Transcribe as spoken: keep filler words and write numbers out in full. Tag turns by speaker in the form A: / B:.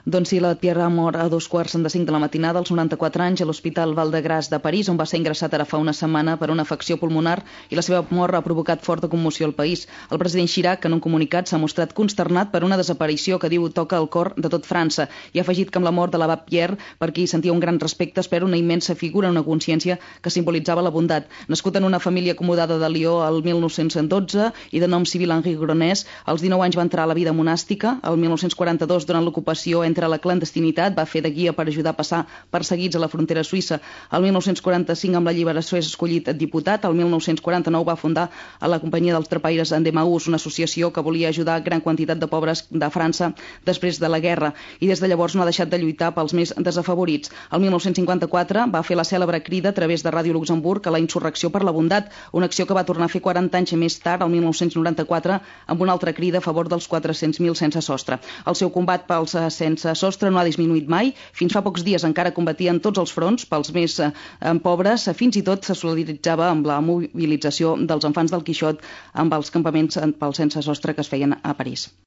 A: Doncs sí, la Pierre ha mort a dos quarts de cinc de la matinada, als noranta-quatre anys, a l'Hospital Val-de-Grâce de París, on va ser ingressat ara fa una setmana per una afecció pulmonar, i la seva mort ha provocat forta commoció al país. El president Chirac, en un comunicat, s'ha mostrat consternat per una desaparició que diu toca el cor de tot França, i ha afegit que amb la mort de l'abat Pierre, per qui sentia un gran respecte, espera una immensa figura, una consciència que simbolitzava la bondat. Nascut en una família acomodada de Lió el mil nou-cents dotze i de nom civil Henri Gronès, als dinou anys va entrar a la vida monàstica. El mil nou-cents quaranta-dos, durant l'ocupació entre a la clandestinitat, va fer de guia per ajudar a passar perseguits a la frontera suïssa. El mil nou-cents quaranta-cinc, amb la lliberació, és escollit diputat. El mil nou-cents quaranta-nou va fundar a la companyia dels trapaires Endemaús, una associació que volia ajudar gran quantitat de pobres de França després de la guerra, i des de llavors no ha deixat de lluitar pels més desafavorits. El mil nou-cents cinquanta-quatre va fer la cèlebre crida a través de Ràdio Luxemburg a la insurrecció per la bondat, una acció que va tornar a fer quaranta anys més tard, el mil nou-cents noranta-quatre, amb una altra crida a favor dels quatre-cents mil sense sostre. El seu combat pels sense sostre no ha disminuït mai. Fins fa pocs dies encara combatia en tots els fronts pels més eh, pobres. Fins i tot se solidaritzava amb la mobilització dels infants del Quixot amb els campaments pels sense sostre que es feien a París.